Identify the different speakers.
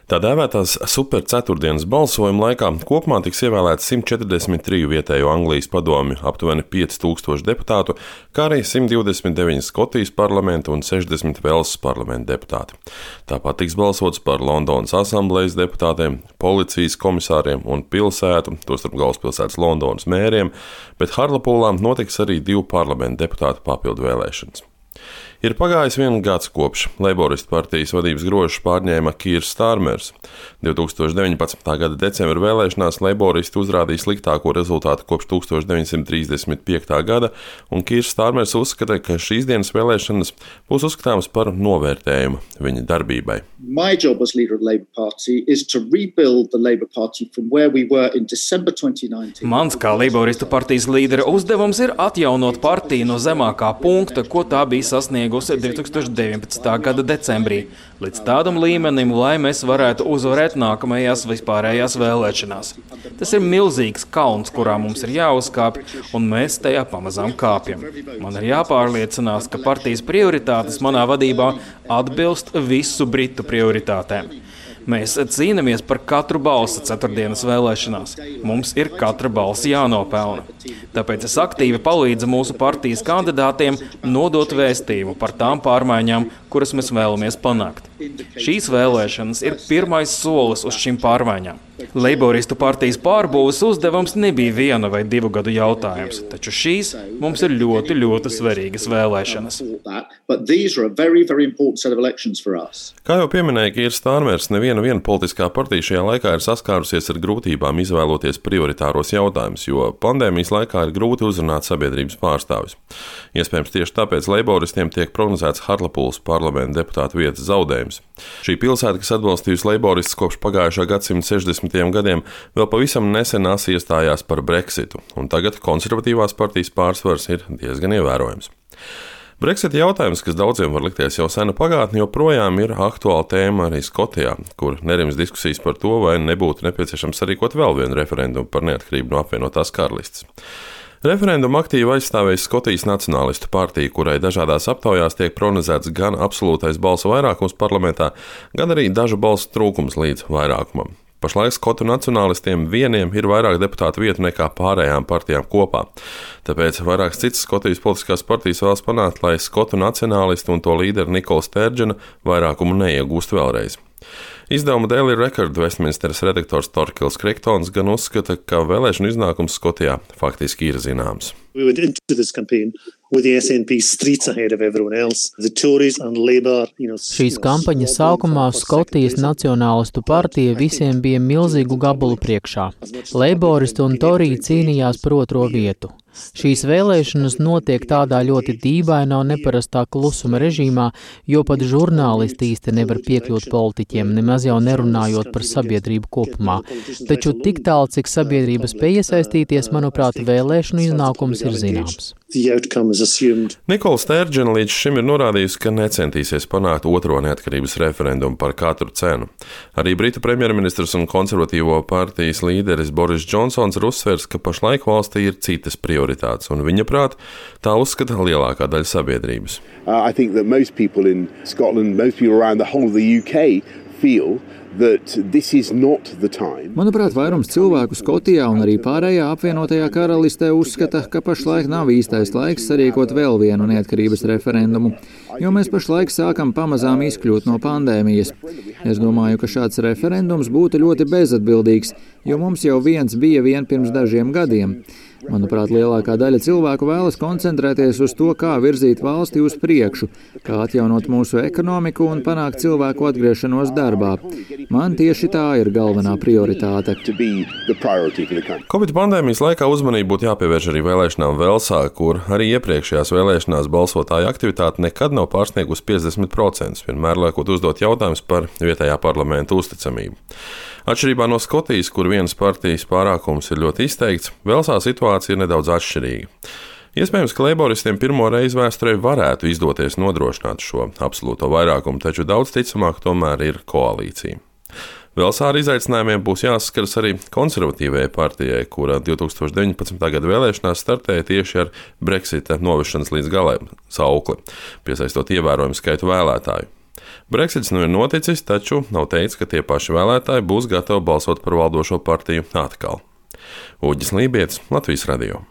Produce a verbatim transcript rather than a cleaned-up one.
Speaker 1: Tā dēvētās superceturtdienas balsojuma laikā kopumā tiks ievēlēts simt četrdesmit trīs vietējo Anglijas padomju, aptuveni pieci tūkstoši deputātu, kā arī simt divdesmit deviņi Skotijas parlamenta un sešdesmit Velsas parlamenta deputāti. Tāpat tiks balsots par Londonas asamblejas deputātiem, policijas komisāriem un pilsētu, tostarp galvaspilsētas Londonas mēriem, bet Hartlepūlā notiks arī divu parlamenta deputātu papildu vēlēšanas. Ir pagājis viens gads kopš Leiboristu partijas vadības grožus pārņēma Kīrs Stārmers. divi tūkstoši deviņpadsmitā gada decembra vēlēšanās Leiboristi uzrādīja sliktāko rezultātu kopš tūkstoš deviņsimt trīsdesmit piektā gada, un Kīrs Stārmers uzskata, ka šīs dienas vēlēšanas būs uzskatāmas par novērtējumu viņa darbībai.
Speaker 2: My job as leader of the Labour Party is to rebuild the Labour Party from where we were in December twenty nineteen.
Speaker 3: Mans kā Leiboristu partijas līdera uzdevums ir atjaunot partiju no zemākā punkta, ko tā bija sasniegusi divi tūkstoši deviņpadsmitā gada decembrī, līdz tādam līmenim, lai mēs varētu uzvarēt nākamajās vispārējās vēlēšanās. Tas ir milzīgs kalns, kurā mums ir jāuzkāpj, un mēs tajā pamazām kāpjam. Man ir jāpārliecinās, ka partijas prioritātes manā vadībā atbilst visu britu prioritātēm. Mēs cīnāmies par katru balsi ceturtdienas vēlēšanās. Mums ir katra balss jānopelna. Tāpēc es aktīvi palīdzu mūsu partijas kandidātiem nodot vēstījumu par tām pārmaiņām, kuras mēs vēlamies panākt. Šīs vēlēšanas ir pirmais solis uz šīm pārmaiņām. Leiboristu partijas pārbūves uzdevums nebija viena vai divu gadu jautājums, taču šīs mums ir ļoti, ļoti svarīgas vēlēšanas.
Speaker 1: Kā jau pieminēja Kīrs Stārmers, neviena viena politiskā partija šajā laikā ir saskārusies ar grūtībām izvēloties prioritāros jautājumus, jo pandēmijas laikā ir grūti uzrunāt sabiedrības pārstāvis. Iespējams, tieši tāpēc leiboristiem tiek prognozēts Hartlepūles parlamenta deputātu vietas zaudējums. Šī pilsēta, kas atbalstījusi leiboristus kopš pagājušā gadsimta sešdesmitajiem gadiem, vēl pavisam nesen iestājās par Brexitu, un tagad konservatīvās partijas pārsvars ir diezgan ievērojams. Brexita jautājums, kas daudziem var likties jau sena pagātne, joprojām ir aktuāla tēma arī Skotijā, kur nerims diskusijas par to, vai nebūtu nepieciešams sarīkot vēl vienu referendumu par neatkarību no apvienotās karalistes. Referendumu aktīvi aizstāvēja Skotijas Nacionālistu partija, kurai dažādās aptaujās tiek prognozēts gan absolūtais balsu vairākums parlamentā, gan arī dažu balsu trūkums līdz vairākumam. Pašlaik skotu nacionālistiem vieniem ir vairāk deputātu vietu nekā pārējām partijām kopā. Tāpēc vairākas citas Skotijas politiskās partijas vēlas panākt, lai skotu nacionālisti un to līderi Nikola Sterdžena vairākumu neiegūst vēlreiz. Izdevuma Daily Record Westminsteras redaktors Torkils Kriktons gan uzskata, ka vēlēšanu iznākums Skotijā faktiski ir zināms.
Speaker 4: We went into this campaign with the S N P streets ahead of everyone else. The Tories and Labour, you know,
Speaker 5: Šīs kampaņas sākumā Skotijas Nacionālistu partija visiem bija milzīgu gabalu priekšā. Leiboristi un Toriji cīnījās par otro vietu. Šīs vēlēšanas notiek tādā ļoti dīvainā un neparastā klusuma režīmā, jo pat žurnālisti īsti nevar piekļūt politiķiem, nemaz jau nerunājot par sabiedrību kopumā. Taču tik tālu, cik sabiedrība spēj iesaistīties, manuprāt, vēlēšanu iznākums ir zināms.
Speaker 1: Nikola Sterdžena līdz šim ir norādījusi, ka necentīsies panākt otro neatkarības referendumu par katru cenu. Arī Britu premjerministrs un konservatīvo partijas līderis Boris Džonsons ir uzsvērs, ka pašlaik valstī ir citas prioritātes, un viņa prāt tā uzskata lielākā daļa sabiedrības.
Speaker 6: Uh, I think that most people in Scotland, most people around the whole of the U K feel that this is not the time.
Speaker 7: Manuprāt, vairums cilvēku Skotijā un arī pārējā apvienotajā karalistē uzskata, ka pašlaik nav īstais laiks sarīkot vēl vienu neatkarības referendumu, jo mēs pašlaik sākam pamazām izkļūt no pandēmijas. Es domāju, ka šāds referendums būtu ļoti bezatbildīgs, jo mums jau viens bija vien pirms dažiem gadiem. Manuprāt, lielākā daļa cilvēku vēlas koncentrēties uz to, kā virzīt valsti uz priekšu, kā atjaunot mūsu ekonomiku un panākt cilvēku atgriešanos darbā. Man tieši tā ir galvenā prioritāte.
Speaker 1: Covid pandēmijas laikā uzmanību būtu jāpievērš arī vēlēšanām Velsā, kur arī iepriekšējās vēlēšanās balsotāju aktivitāte nekad nav pārsniegusi piecdesmit procentus, vienmēr liekot uzdot jautājumus par vietējā parlamenta uzticamību. Atšķirībā no Skotijas, kur vienas partijas pārākums ir ļoti izteikts, Velsā situācija ir nedaudz atšķirīga. Iespējams, ka leiboristiem pirmo reizi vēsturē varētu izdoties nodrošināt šo absolūto vairākumu, taču daudz ticamāk tomēr ir koalīcija. Velsā ar izaicinājumiem būs jāsaskaras arī konservatīvajai partijai, kura divi tūkstoši deviņpadsmitā gada vēlēšanās startēja tieši ar Brexita novešanas līdz galai saukli, piesaistot ievērojumu skaitu vēlētāju. Brexits nu ir noticis, taču nav teicis, ka tie paši vēlētāji būs gatavi balsot par valdošo partiju atkal. Uģis Lībietis, Latvijas radio.